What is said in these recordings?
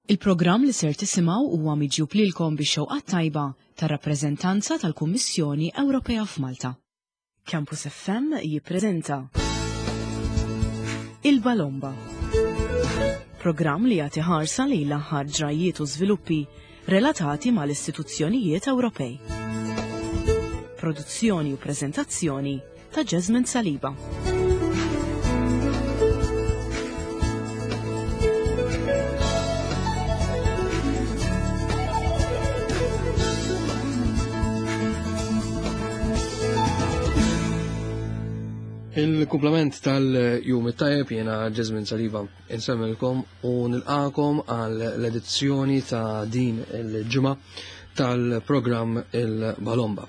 Il-programm li ser tisimgħu huwa miġjub lilkom bix-xewqat tajba tar-rappreżentanza tal-Kummissjoni Ewropea f'Malta. Campus FM jippreżenta Il-Balomba. Programm li jagħti ħarsa lejn l-aħħar ġrajjiet u żviluppi relatati mal-istituzzjonijiet Ewropej. Produzzjoni u preżentazzjoni ta' Jasmine Saliba. Il-kumplament tal-jum it-tajjeb jiena Jasmine Saliba insemmilkom u nilqakom għal l-edizzjoni ta' din il-ġimgħa tal-programm il-Balomba.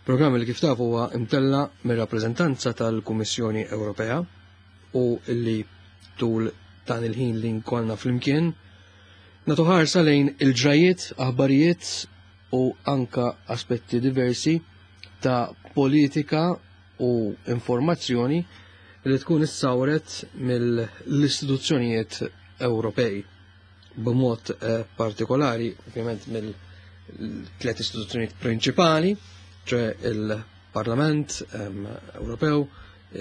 Programm li kif tafu huwa imtella mir-rappreżentanza tal-Kummissjoni Ewropea u li tul dan il-ħin li nkollna flimkien nagħtu ħarsa lejn il-ġrajiet, aħbarijiet u anka aspetti diversi ta' politika u informazzjoni li tkun issawret mill-istituzzjonijiet Ewropej b'mod eh, partikolari, ovvjament mill-tliet istituzzjonijiet prinċipali, ċe il-Parlament ehm, Ewropew,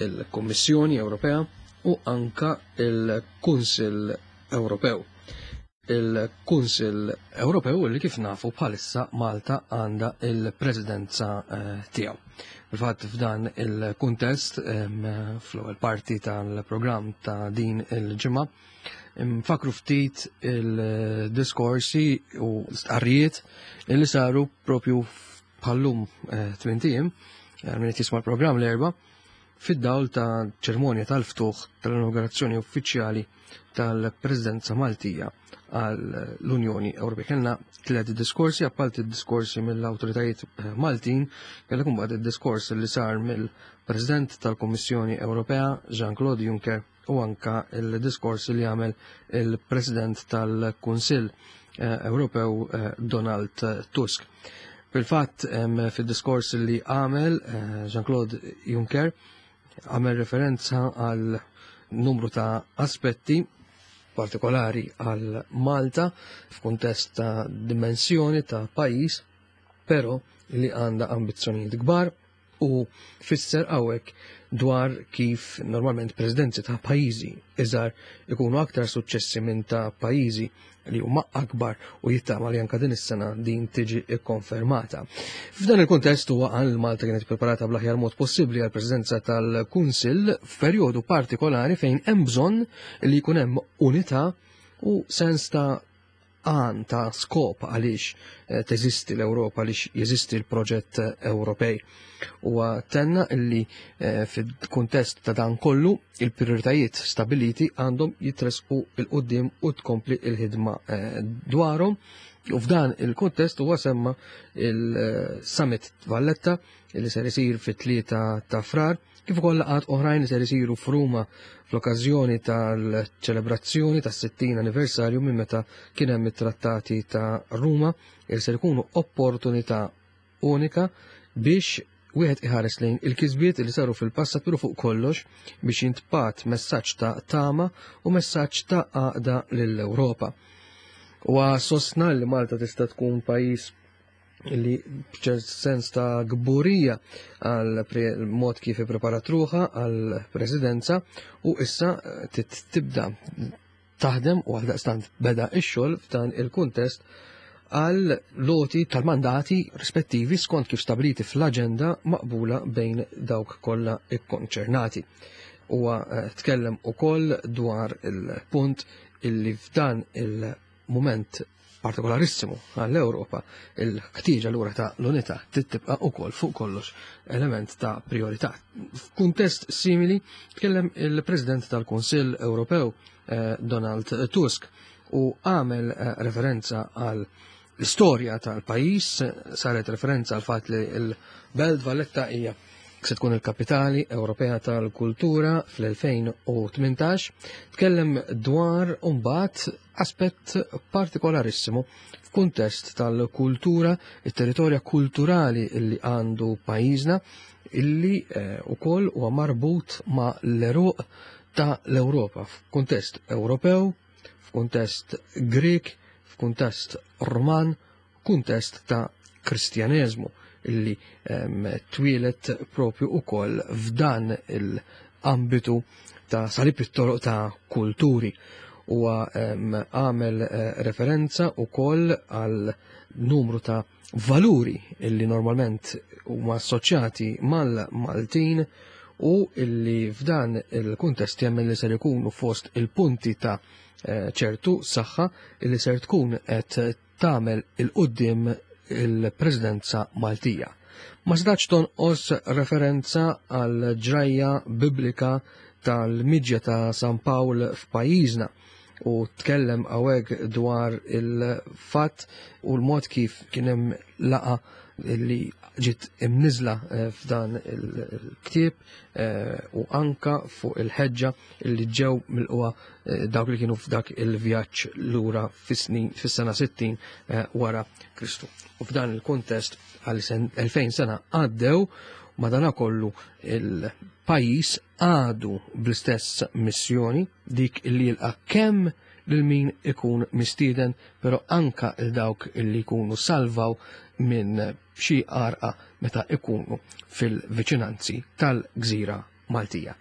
il-Kommissjoni Ewropea u anka il-Kunsill Ewropew. Il-Kunsill Ewropew li kif nafu bħalissa Malta għandha il-presidenza eh, tiegħu. Fil-fatt f'dan il-kuntest ehm, fl-ewwel parti tal-programm ta' din il-ġimgħa Nfakru ftit il-diskorsi u stqarrijiet li saru propju bħallum eh, tmien eh, minn jisma' l-programm l-erba' fid-dawl ta' ċermonja tal-ftuħ tal-inaugurazzjoni uffiċjali tal-Presidenza Maltija għal l-Unjoni Ewropea. Kellna tliet diskorsi, apparti diskorsi mill-awtoritajiet eh, Maltin, kellek imbagħad id-diskors li sar mill-President tal-Kummissjoni Ewropea Jean-Claude Juncker u anka il-diskors li għamel il-President tal-Kunsill eh, Ewropew eh, Donald Tusk. Fil-fatt, fil-diskors li għamel eh, Jean-Claude Juncker għamel referenza għal numru ta' aspetti partikolari għal Malta f'kuntest ta' dimensjoni ta' pajis, pero li għanda ambizzjonijiet kbar u fisser hawnhekk dwar kif normalment presidenzi ta' pajjiżi iżgħar ikunu aktar suċċessi minn ta' pajjiżi li huma akbar u jittama li anka din is-sena din tiġi ikkonfermata. F'dan il-kuntest huwa qal Malta kienet preparata bl-aħjar mod possibbli għal presidenza tal-Kunsill f'perjodu partikolari fejn hemm bżonn li jkun hemm unità u sens ta' għan ta' skop għaliex eh, teżisti l-Ewropa, għaliex jeżisti l-proġett eh, Ewropej. U tenna illi eh, fil-kuntest ta' dan kollu il-prioritajiet stabiliti għandhom jitresqu il-qoddim u tkompli il-ħidma dwarhom. U f'dan il-kuntest huwa semma il-Summit Valletta li ser isir fit-3 ta' frar kif ukoll laqgħat oħrajn li ser isiru f'Ruma fl-okkażjoni tal-ċelebrazzjoni tas-60 anniversarju minn meta kien hemm it-trattati ta' Ruma li ser ikunu opportunità unika biex wieħed iħares lejn il-kisbiet li saru fil-passat pero fuq kollox biex jintbat messaġġ ta' tama u messaġġ ta' għaqda lill-Ewropa. Huwa sostna li Malta tista' tkun pajjiż li b'ċert sens ta' gburija għal mod kif ippreparat ruħa għal presidenza u issa eh, tibda taħdem u għaldaqstant beda ix-xogħol f'dan il-kuntest għal loti tal-mandati rispettivi skont kif stabiliti fl-aġenda maqbula bejn dawk kollha ikkonċernati. Huwa eh, tkellem ukoll dwar il-punt illi f'dan il-mument partikolarissimu għall-Ewropa, il-ħtieġa lura ta' l-unità tibqa' ukoll fuq kollox element ta' priorità. F'kuntest simili tkellem il-President tal-Kunsill Ewropew eh, Donald Tusk u għamel eh, referenza għal l-istorja tal-pajjiż, saret referenza għal fatt li l-Belt Valletta hija se tkun il-kapitali Ewropea tal-Kultura fl-2018, tkellem dwar mbagħad aspett partikolarissimu f'kuntest tal-kultura, it-territorja kulturali li għandu pajjiżna illi eh, ukoll huwa marbut ma' l-eruq ta' l-Ewropa f'kuntest Ewropew, f'kuntest Grek, f'kuntest Ruman, kuntest ta' Kristjaneżmu illi twieled propju ukoll f'dan il-ambitu ta' salib it-toroq ta' kulturi. Huwa għamel referenza ukoll għal numru ta' valuri illi normalment huma assoċjati mal-Maltin u illi f'dan il-kuntest jemmen li ser ikunu fost il-punti ta' ċertu saħħa illi ser tkun qed tagħmel il-qudiem il-Presidenza Maltija. Ma setax tonqos referenza għal ġrajja biblika tal-miġja ta' San Pawl f'pajjiżna u tkellem hawnhekk dwar il-fatt u l-mod kif kien hemm laqa li ġiet imniżla f'dan il-ktieb u anka fuq il-ħeġġa li ġew milquha dawk li kienu f'dak il-vjaġġ lura fis-sena 60 wara Kristu. U f'dan il-kuntest għal 2000 sena għaddew, madanakollu il-pajjiż għadu bl-istess missjoni, dik li jilqa' kemm lil min ikun mistieden, però anka il dawk li jkunu salvaw minn xi għarqa meta ikunu fil-viċinanzi tal-Gżira Maltija.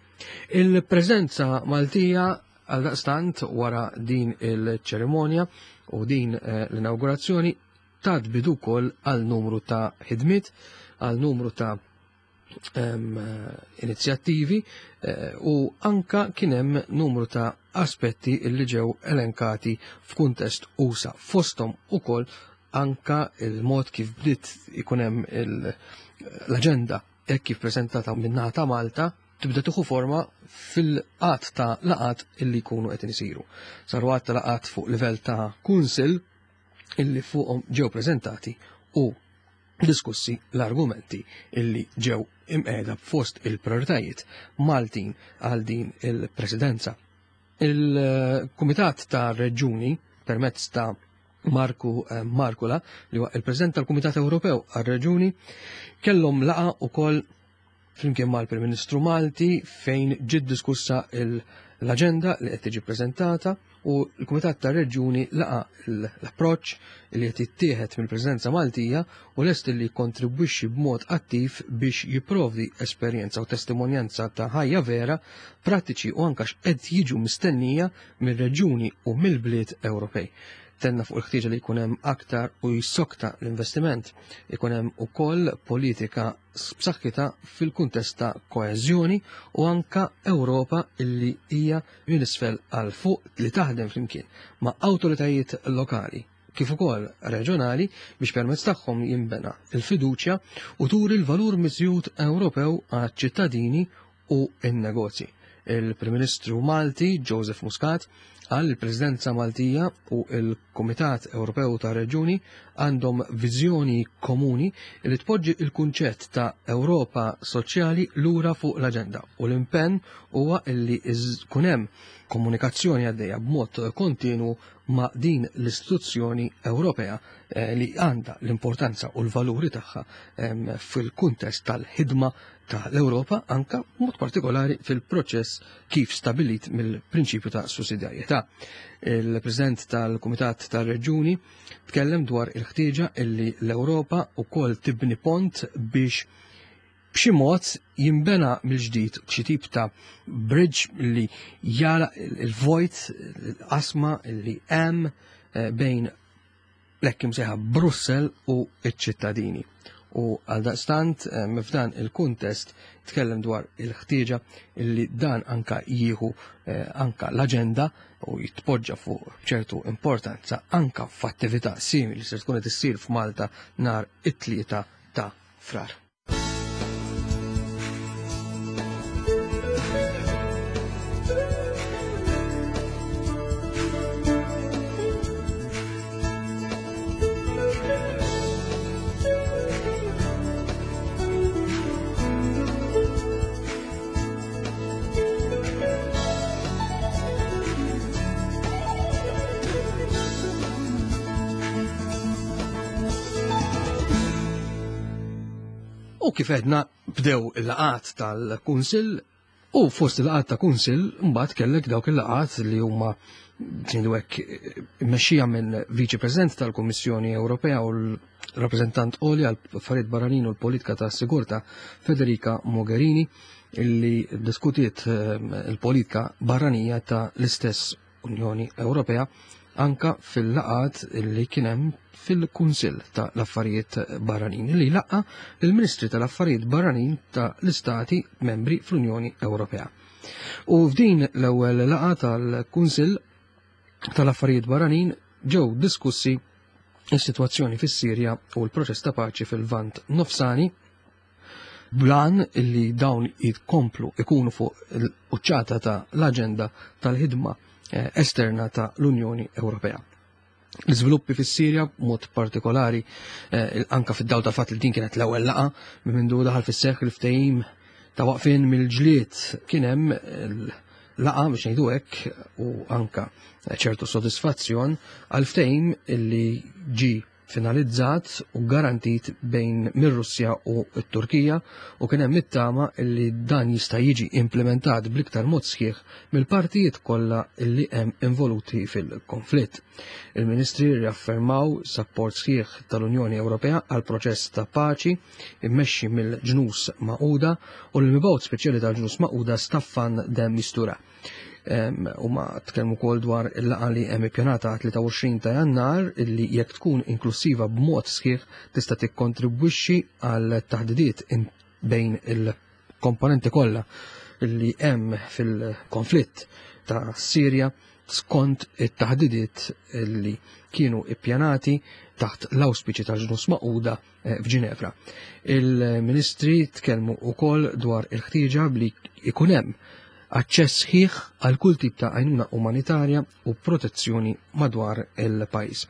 Il-preżenza Maltija għaldaqstant wara din il-ċerimonja u din l-inaugurazzjoni tat bidu wkoll għal numru ta' ħidmiet, għal numru ta' inizjattivi u anka kien hemm numru ta' aspetti li ġew elenkati f'kuntest usa, fosthom ukoll anka il-mod kif bdiet ikun hemm l-aġenda hekk kif preżentata min-naħa ta' Malta tibda tieħu forma fil-qatt ta' laqat illi jkunu qed isiru. Saru għadd ta' laqat fuq livell ta' kunsill illi fuqhom ġew preżentati u diskussi l-argumenti illi ġew imqiegħda fost il-prioritajiet Maltin għal din il-presidenza. Il-Kumitat ta' Reġuni permezz ta' Marku Markula, li huwa il-President tal-Kumitat Ewropew għar-Reġuni, kellhom laqa ukoll flimkien mal-Prim Ministru Malti fejn ġiet diskussa l-aġenda li qed tiġi preżentata u l-Kumitat tar-Reġjuni laqa l-approċċ li qed jittieħed mill-Presidenza Maltija u lest li jikkontribwixxi b'mod attiv biex jipprovdi esperjenza u testimonjanza ta' ħajja vera, prattiċi u anka x'qed jiġu mistennija mir-reġjuni u mill-bliet Ewropej. Tenna fuq il-ħtieġa li jkun hemm aktar u jissokta l-investiment, ikun hemm ukoll politika b'saħħitha fil-kuntest ta' koeżjoni u anka Ewropa illi hija minn isfel għal fuq li taħdem flimkien ma' awtoritajiet lokali kif ukoll reġjonali biex permezz tagħhom jinbena l-fiduċja u turi l-valur miżjud Ewropew għaċ-ċittadini u n-negozji. Il-Prim Ministru Malti Joseph Muscat qal li l-Presidenza Maltija u l-Kumitat Ewropew ta' Reġjuni għandhom viżjoni komuni li tpoġġi l-kunċett ta' Ewropa Soċjali lura fuq l-aġenda u l-impenn huwa li jkun hemm komunikazzjoni għaddejja b'mod kontinwu ma' din l-istituzzjoni Ewropea li għandha l-importanza u l-valuri tagħha fil-kuntest tal-ħidma tal-Ewropa anka mod partikolari fil-proċess kif stabilit mill-prinċipju ta' sussidjarjetà. Il-President tal-Kumitat tar-Reġjuni tkellem dwar il-ħtieġa illi l-Ewropa wkoll tibni pont biex b'xi mod jinbena mill-ġdid xi tip ta' bridge li jara il-vojt, l-qasma li hemm bejn l-hekk imsejħa Brussell u ċ-ċittadini. U għaldaqstant f'dan il-kuntest tkellem dwar il-ħtieġa li dan anka jieħu anka l-aġenda u jitpoġġa fuq ċertu importanza anka f'attività simili se tkun qed issir f'Malta nhar it-3 ta' Frar. U kif għedna bdew il-laqat tal-Kunsill u fost il-laqat ta' Kunsill mbagħad kellek dawk il-laqat li huma ngħidu hekk immexxija minn Viċi President tal-Kummissjoni Ewropea u l-Rappreżentant Għoli għal Affarijiet Barranin u l-Politika ta' Sigurtà Federica Mogherini illi diskutiet il-politika barranija ta' l-istess Unjoni Ewropea anka fil-laqat li kien hemm fil-Kunsill ta' l-Affarijiet Barranin li laqqa il-Ministri tal-Affarijiet Barranin ta' l-Istati membri fl-Unjoni Ewropea. U f'din l-ewwel laqgħa tal-Kunsill tal-Affarijiet Barranin ġew diskussi is-sitwazzjoni fis-Sirja u l-proċess ta' paċi fil-Lvant Nofsani blan illi dawn jitkomplu ikunu fuq l-quċċata ta' l-aġenda tal-ħidma esterna ta' l-Unjoni Ewropea. L-iżviluppi fis-Sirja mod partikolari anka fid-dawl ta' fatt li din kienet l-ewwel laqgħa minn mindu daħal fis-seħħ il-ftehim ta' waqfien mill-ġlied kien hemm laqgħa biex ngħidu hekk u anka ċertu sodisfazzjon għal ftehim illi ġi finalizzat u garantit bejn mir-Russja u t-Turkija u kien hemm it-tama li dan jista' jiġi implementat bl-iktar mod sħiħ mill-partijiet kollha li hemm involuti fil-konflitt. Il-Ministri riaffermaw sapport sħiħ tal-Unjoni Ewropea għal proċess ta' paċi immexxi mill-ġnus Magħquda u l-mibgħut speċjali tal-ġnus Magħquda Staffan de Mistura. U ma tkellmu wkoll dwar il-laqgħa li hemm ippjanata 23 ta' Jannar illi jekk tkun inklusiva b'mod sħiħ tista' tikkontribwixxi għal taħdidiet bejn il-komponenti kollha li hemm fil-konflitt ta' Sirja skont it-taħdidiet li kienu ippjanati taħt l-awspiċi tal-ġnus Magħquda f'Ġinevra. Il-ministri tkellmu wkoll dwar il-ħtieġa li ikun hemm aċċess sħiħ għal kull tip ta' għajnuna umanitarja u protezzjoni madwar il-pajjiż.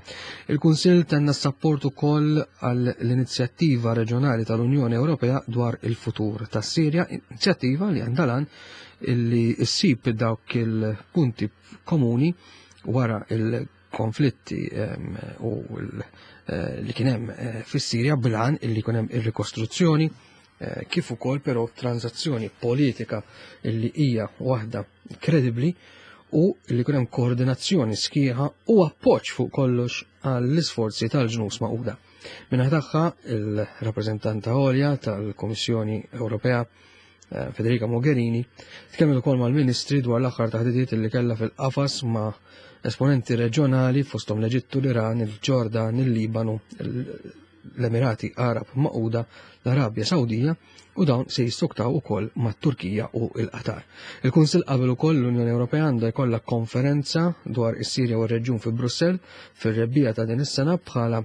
Il-Kunsill tenna s-sapport ukoll għall-inizjattiva reġjonali tal-Unjoni Ewropea dwar il-futur tas-Sirja, inizjattiva li għandha lan illi ssib dawk il-punti komuni wara il-konflitti u li kien hemm fis-Sirja blan illi jkun hemm ir-rikostruzzjoni kif ukoll però transazzjoni politika illi hija waħda kredibbli u li jkun hemm koordinazzjoni sħiħa u appoġġ fuq kollox għall-isforzi tal-ġnus Magħquda. Minnaħa tagħha il-rappreżentanta għolja tal-Kummissjoni Ewropea Federica Mogherini tkellmet ukoll mal-Ministri dwar l-aħħar taħdidiet li kellha fil-qafas ma' esponenti reġjonali fosthom l-Eġittu, l-Iran, il-Ġordan, il-Libanu, l-Emirati Arab Magħquda, l-Arabja Sawdija u dawn se jissoktaw ukoll mat-Turkija u l-Qatar. Il-Kunsill qabel ukoll l-Unjoni Ewropea għandha jkollha konferenza dwar is-Sirja u r-reġjun fi Brussell fir-rebbiegħa ta' din is-sena bħala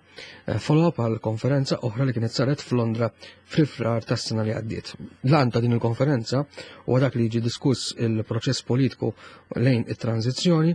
follow-up għal konferenza oħra li kienet saret f'Londra fl-Frar tas-sena li għaddiet. L-għan ta' din il-konferenza huwa dak li jiġi diskuss il-proċess politiku lejn it-tranzizzjoni,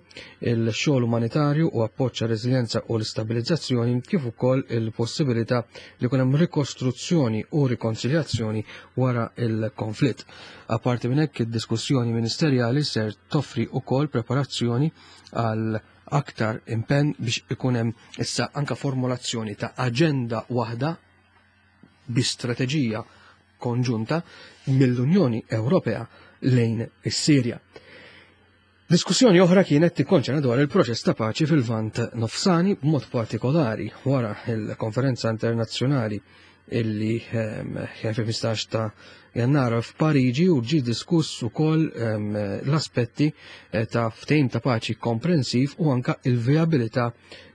il-xogħol umanitarju u appoġġ għar-reżiljenza u l-istabilizzazzjoni kif ukoll il-possibilità li jkun hemm rikostruzzjoni u rikonsiljazzjoni wara il-konflitt. Apparti minn hekk id-diskussjoni ministerjali ser toffri ukoll preparazzjoni għal aktar impenn biex ikun hemm issa anka formulazzjoni ta' aġenda waħda bi strateġija konġunta mill-Unjoni Ewropea lejn is-Sirja. Diskussjoni oħra kienet tikkonċerna dwar il-proċess ta' paċi fil-Lvant Nofsani b'mod partikolari wara il-konferenza internazzjonali illi kien fil-15 ta' Jannar f'Pariġi u ġie diskuss ukoll l-aspetti ta' ftehim ta' paċi komprensiv u anka il-vijabilità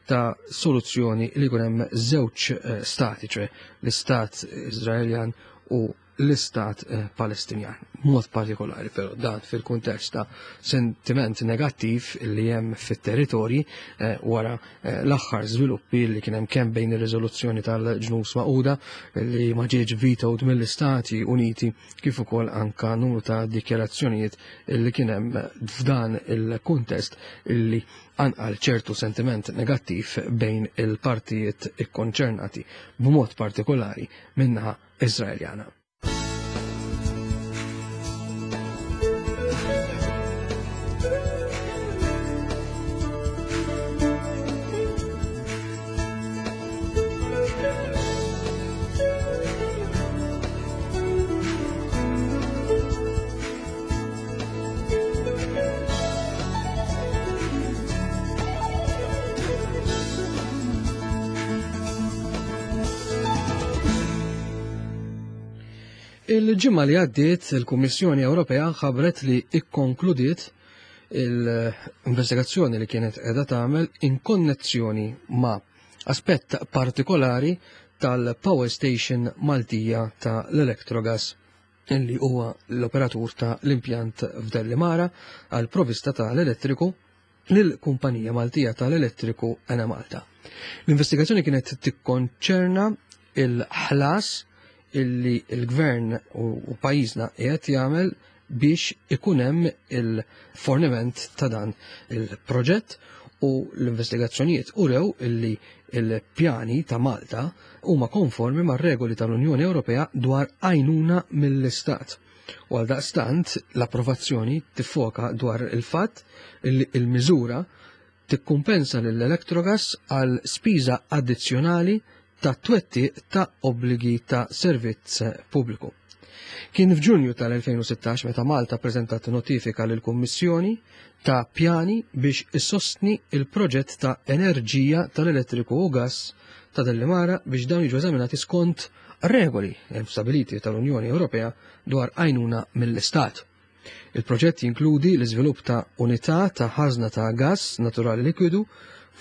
ta' soluzzjoni li jkun hemm żewġ stati, ċe l-istat Iżraeljan u l-istat Palestinjan. Mod partikolari però dan fil-kuntest ta' sentiment negattiv li hemm fit-territorji wara l-aħħar żviluppi li kien hemm kemm bejn ir-riżoluzzjoni tal-ġnus Magħquda li ma ġietx vetoed mill-Istati Uniti kif ukoll anka numru ta' dikjarazzjonijiet li kien hemm f'dan il-kuntest li anqal ċertu sentiment negattiv bejn il-partijiet ikkonċernati b'mod partikolari minnaħa Iżraeljana. Il-ġimgħa li għaddiet il-Kummissjoni Ewropea ħabbret li ikkonkludiet l-investigazzjoni li kienet qiegħda tagħmel in konnezzjoni ma' aspett partikolari tal-Power Station Maltija ta' l-Electrogas li huwa l-operatur ta' l-impjant f'Dellimara għal provista ta' l-elettriku lill-Kumpanija Maltija tal-Elettriku Enemalta. L-investigazzjoni kienet tikkonċerna il-ħlas illi l-gvern u pajjiżna qiegħed jagħmel biex ikun hemm il-forniment ta' dan il-proġett u l-investigazzjonijiet urew illi il-pjani ta' Malta huma konformi mar-regoli tal-Unjoni Ewropea dwar għajnuna mill-Istat. U għaldaqstant l-approvazzjoni tiffoka dwar il-fatt li l-miżura tikkumpensa lil Electrogas għal spiża addizzjonali ta' twettiq ta' obbligi ta' servizz pubbliku. Kien f'Ġunju tal-2016 meta Malta ppreżentat notifika lill-Kummissjoni ta' pjani biex issostni il-proġett ta' enerġija tal-elettriku u gass ta' Dellimara biex dawn jiġu eżaminati skont regoli stabiliti tal-Unjoni Ewropea dwar għajnuna mill-Istat. Il-proġett jinkludi l-iżvilupp ta' unità ta' ħażna ta' gass naturali likwidu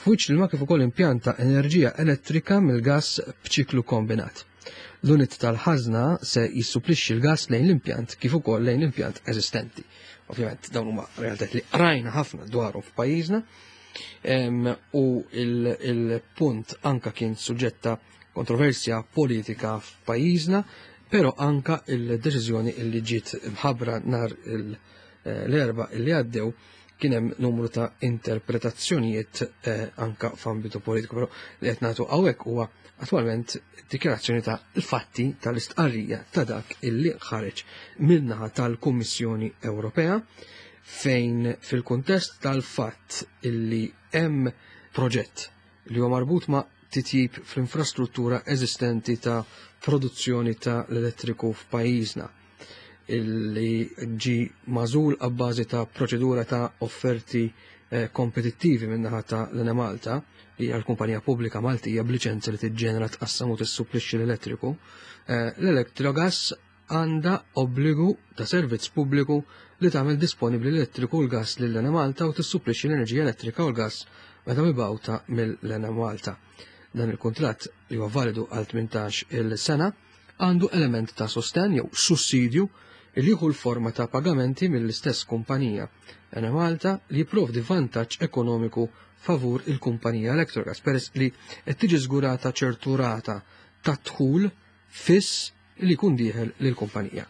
f'wiċċ l-ilma kif ukoll impjant ta' enerġija elettrika mill-gass b'ċiklu kombinat. L-unit tal-ħażna se jissupplixxi l-gass lejn l-impjant kif ukoll lejn l-impjant eżistenti. Ovvjament dawn huma realtajiet li qrajna ħafna dwarhom f'pajjiżna u il-punt anka kien suġġetta kontroversja politika f'pajjiżna, però anka il-deċiżjoni li ġiet mħabbra nhar l-Erbgħa li għaddew kien hemm numru ta' interpretazzjonijiet anka f'ambitu politiku, però li qed nagħtu hawnhekk huwa attwalment dikjarazzjoni ta' l-fatti tal-istqarrija ta' dak illi ħareġ min-naħa tal-Kummissjoni Ewropea fejn fil-kuntest tal-fatt illi hemm proġett li huwa marbut ma' titjib fl-infrastruttura eżistenti ta' produzzjoni ta' l-elettriku f'pajjiżna illi ġi magħżul abbażi ta' proċedura ta' offerti eh, kompetittivi min-naħa ta' l-Enemalta, li hija l-kumpanija pubblika Maltija b'liċenza li tiġġenera tqassam u tissupplixxi l-elettriku, eh, l-Electrogas għandha obbligu ta' servizz pubbliku li tagħmel disponibbli l-elettriku u l-gass lill-Enemalta u tissupplixxi l-enerġija elettrika u l-gass meta mibgħuta mill-Enemalta. Dan il-kuntratt li huwa validu għal 18 il sena għandu element ta' sostenn jew sussidju li jieħu l-forma ta' pagamenti mill-istess kumpanija Enemalta li jipprovdi vantaġġ ekonomiku favur il-kumpanija Electrogas peress li qed tiġi żgurata ċertu rata ta' dħul fiss li jkun dieħel lill-kumpanija.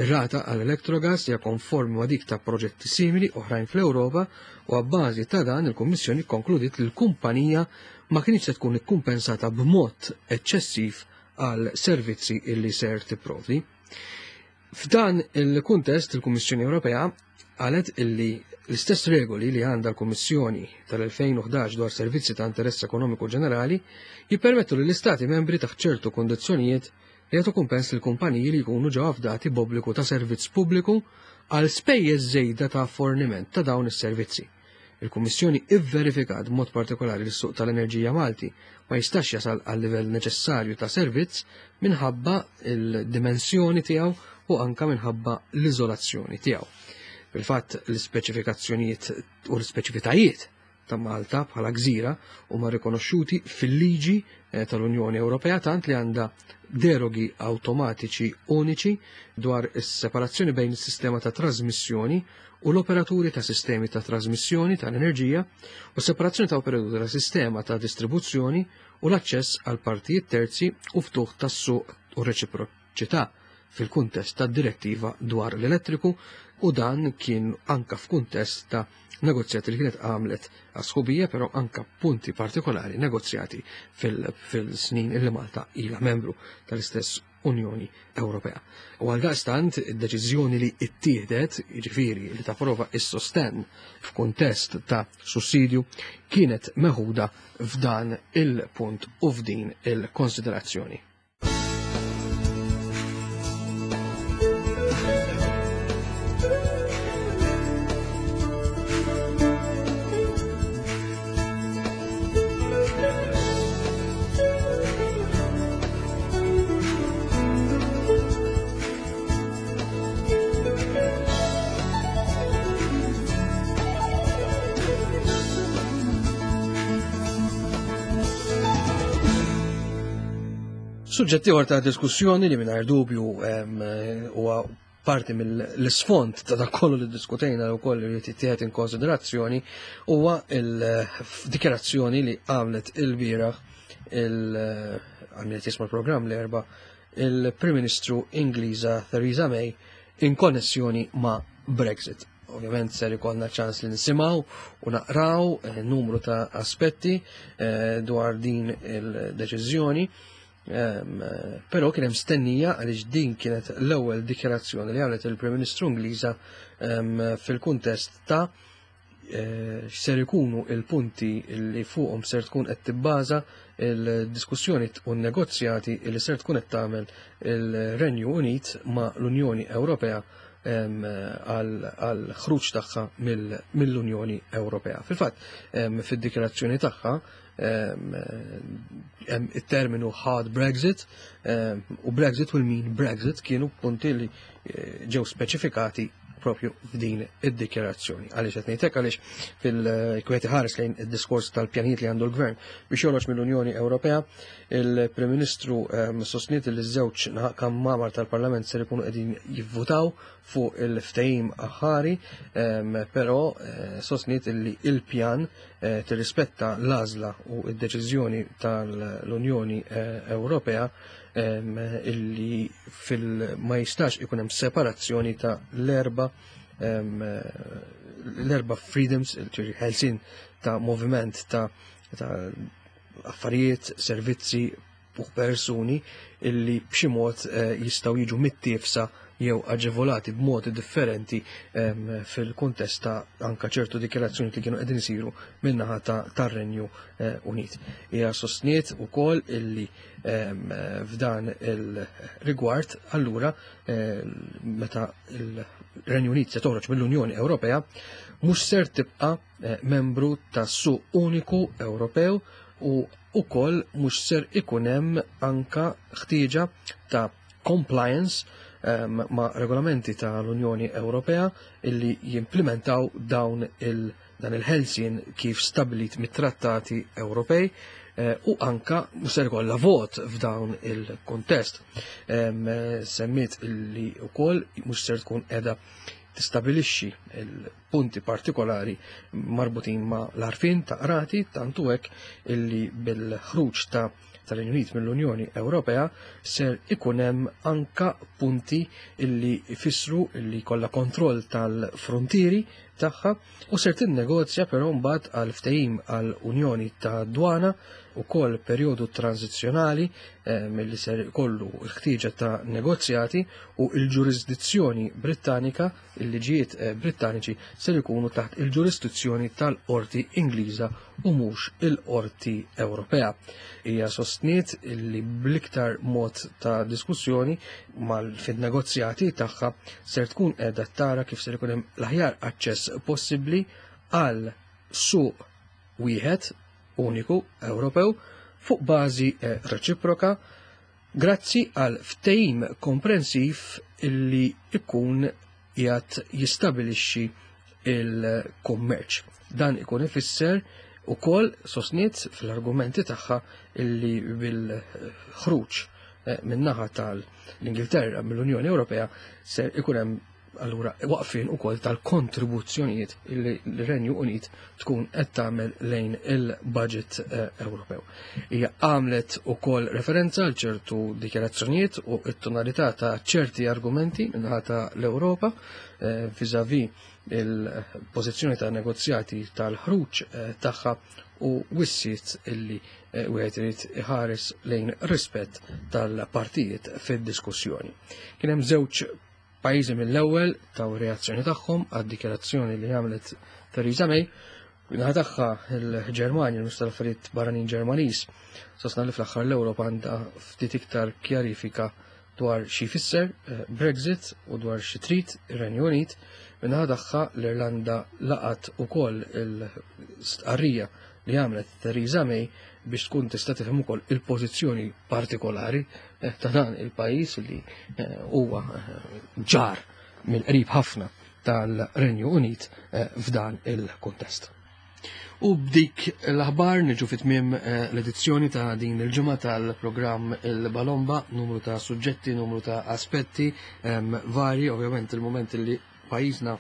Ir-rata għal Electrogas hija konformi ma' dik ta' proġetti simili oħrajn fl-Ewropa u abbażi ta' dan il-Kummissjoni kkonkludiet li l-kumpanija ma kinitx se tkun ikkumpensata b'mod eċċessiv għal servizzi illi ser tipprovdi. F'dan il-kuntest il-Kummissjoni Ewropea qalet illi l-istess regoli li għandha l-Kummissjoni tal-2011 dwar servizzi ta' interess ekonomiku ġenerali jippermettu li l-Istati membri taħt ċertu kondizzjonijiet li jagħtu kumpens lil kumpaniji li jkunu ġew afdati b'obbligu ta' servizz pubbliku għal spejjeż żejda ta' forniment ta' dawn is-servizzi. Il-Kummissjoni ivverifikat b'mod partikolari li s-suq tal-enerġija Malti ma jistax jasal għal livell neċessarju ta' servizz minħabba l-dimensjoni tiegħu u anka minħabba l-iżolazzjoni tiegħu. Fil-fatt l-ispeċifikazzjonijiet u l-ispeċifitajiet ta' Malta bħala gżira huma rikonoxxuti fil-liġi eh, tal-Unjoni Ewropea tant li għandha derogi awtomatiċi uniċi dwar is-separazzjoni bejn is-sistema ta' trasmissjoni u l-operaturi ta' sistemi ta' trasmissjoni tal-enerġija u separazzjoni ta' operaturi ta' sistema ta' distribuzzjoni u l-aċċess għal partijiet terzi u ftuħ tas-suq u reċiproċità fil-kuntest tad-direttiva dwar l-elettriku u dan kien anka f'kuntest ta' negozjati li kienet għamlet għas-sħubija, però anka punti partikolari negozjati fil-snin illi Malta ilha membru tal-istess Unjoni Ewropea. U għal daqstant id-deċiżjoni li ittieħdet, jiġifieri li tapprova is-sostenn f'kuntest ta' sussidju, kienet meħuda f'dan il-punt u f'din il-konsiderazzjoni. Suġġett ieħor ta' diskussjoni li mingħajr dubju huwa parti mill-isfond ta' dak kollu li diskutejna u koll li jittieħed in konsiderazzjoni huwa il-dikjarazzjoni li għamlet il-bieraħ il-għamlet jisma' l-programm l-erba' il-Prim Ministru Ingliża Theresa May in konnessjoni ma' Brexit. Ovvjament ser ikollna ċans li nisimgħu u naqraw eh, numru ta' aspetti eh, dwar din il-deċiżjoni. Ehm, però kien hemm stennija għaliex din kienet l-ewwel dikjarazzjoni li għamlet il-Prim Ministru Ingliża ehm, fil-kuntest ta' eh, x'ser ikunu il-punti li fuqhom ser tkun qed tibbaża il-diskussjoni u n-negozjati li ser tkun qed tagħmel il-Renju Unit ma' l-Unjoni Ewropea ehm, għal ħruġ tagħha mill-Unjoni Ewropea. Fil-fatt, fid-dikjarazzjoni tagħha it-terminu hard Brexit u Brexit will mean Brexit kienu punti li eh, ġew speċifikati propju f'din id-dikjarazzjoni. Għaliex qed ngħidlek għaliex fil-kwieti ħares lejn id-diskors tal-pjanijiet li għandu l-gvern biex joħroġ mill-Unjoni Ewropea, il-Prim Ministru sostniet li ż-żewġ kammamar tal-Parlament ser ikunu qegħdin jivvutaw fuq il-ftehim aħħari, però eh, sostniet li il-pjan eh, tirrispetta l-għażla u d-deċiżjoni tal-Unjoni eh, Ewropea illi fil ma jistax ikun hemm separazzjoni ta' l-erba l-erba freedoms, ħelsin ta' moviment ta' affarijiet, servizzi, u persuni illi b'xi mod eh, jistgħu jiġu mittiefsa jew aġevolati b'modi differenti fil-kuntest ta' anka ċertu dikjarazzjoni li kienu qegħdin isiru min-naħa tar-Renju eh, Unit. Hija sostniet ukoll illi f'dan il-rigward allura eh, meta il-Renju Unit se toħroġ mill-Unjoni Ewropea mhux ser tibqa' membru tas-suq uniku Ewropew u ukoll mhux ser ikun hemm anka ħtieġa ta' compliance ma' regolamenti tal-Unjoni Ewropea illi jimplementaw dawn il- dan il-ħelsien kif stabilit mit-trattati Ewropej eh, u anka mhux ser ikollha vot f'dawn il-kuntest. Semmiet illi wkoll mhux ser tkun qiegħda tistabilixxi punti partikolari marbutin ma' l-arfin ta' qrati tantu hekk illi bil-ħruġ ta' tal-Renju Unit mill-Unjoni Ewropea ser ikun hemm anka punti illi jfissru illi kollha kontroll tal-frontieri tagħha u ser tinnegozja però mbagħad għal ftehim għal Unjoni ta' Dwana ukoll perjodu tranzizzjonali eh, milli ser ikollu l-ħtieġa ta' negozjati u l-ġurisdizzjoni Brittanika il-liġijiet eh, Brittaniċi ser ikunu taħt il-ġurisdizzjoni tal-Qorti Ingliża u mhux il-Qorti Ewropea. Hija sostniet li bl-iktar mod ta' diskussjoni mal-fid-negozjati tagħha ser tkun qiegħda tara kif ser ikun hemm l-aħjar aċċess possibbli għal suq wieħed uniku Ewropew fuq bażi eh, reċiproka Grazzi għal ftehim komprensiv illi ikun qiegħed jistabilixxi il-kummerċ. Dan ikun ifisser ukoll sostniet fl-argumenti tagħha illi bil-ħruġ eh, min-naħa tal-Ingilterra mill-Unjoni Ewropea ser ikun hemm allura waqfien ukoll tal-kontribuzzjonijiet li l-Renju Unit tkun qed tagħmel lejn il-budget eh, Ewropew. Hija għamlet ukoll referenza għal ċertu dikjarazzjonijiet u t-tonalità ta' ċerti argumenti minnaħa ta' l-Ewropa eh, vis-à-vis il-pożizzjoni ta' negozjati tal-ħruġ eh, tagħha u wissiet illi wieħed irid iħares lejn rispett tal-partijiet fid-diskussjoni. Kien hemm żewġ Pajjiżi mill-ewwel taw reazzjoni tagħhom għad-dikjarazzjoni li għamlet Theresa May. Naħa tagħha il-Ġermanja, il-Ministru tal-Affarijiet Barranin Ġermaniż, sostna li fl-aħħar l-Ewropa għandha ftit iktar kjarifika dwar xi jfisser eh, Brexit u dwar xi trid ir-Renju Unit. Minnaħa tagħha l-Irlanda laqat ukoll il-stqarrija li għamlet Theresa May biex tkun tista' tifhem ukoll il-pożizzjoni partikolari eh, ta' dan il-pajjiż li eh, huwa eh, ġar mill-qrib ħafna tal-Renju Unit f'dan il-kuntest. U b'dik l-aħbar niġu fit tmiem eh, l-edizzjoni ta' din il-ġimgħa tal-programm il-Balomba, numru ta' suġġetti, numru ta' aspetti ehm, vari, ovvjament il-moment li pajjiżna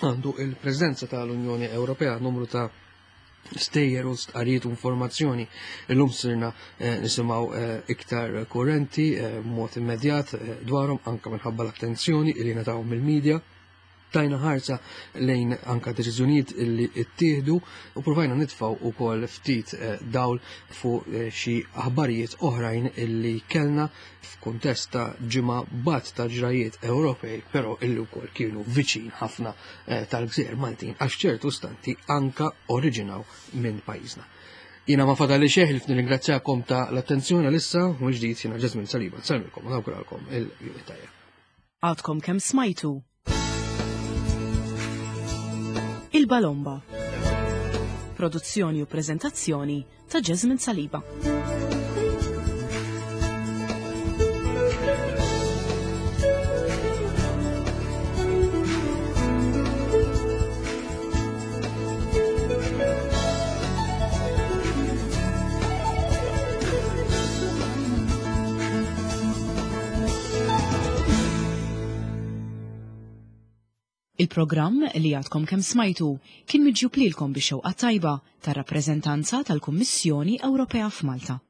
għandu il-preżenza tal-Unjoni Ewropea, numru ta' stejjer u stqarrijiet u informazzjoni illum sirna eh, nisimgħu eh, iktar kurrenti b'mod immedjat dwarhom anke minħabba l-attenzjoni li ngħataw mill-medja. Tajna ħarsa lejn anka deċiżjonijiet li ttieħdu u provajna nitfgħu ukoll ftit eh, dawl fuq eh, xi aħbarijiet oħrajn illi kellna f'kuntest ta' ġimgħa bat ta' ġrajiet Ewropej, però illi wkoll kienu viċin ħafna eh, tal-gżejjer Maltin għax ċertu stanti anka oriġinaw minn pajjiżna. Jiena ma fadali xejn li nirringrazzjakom ta' l-attenzjoni għalissa u ġdid jiena Ġesmin Saliba. Nsellmilkom u nawguralkom il-jum tajjeb. Għadkom kemm smajtu Il-Balomba. Produzzjoni u preżentazzjoni ta' Jasmine Saliba. Il-programm li għadkom kemm smajtu kien miġjub lilkom bix-xewqa tajba tar-rappreżentanza tal-Kummissjoni Ewropea f'Malta.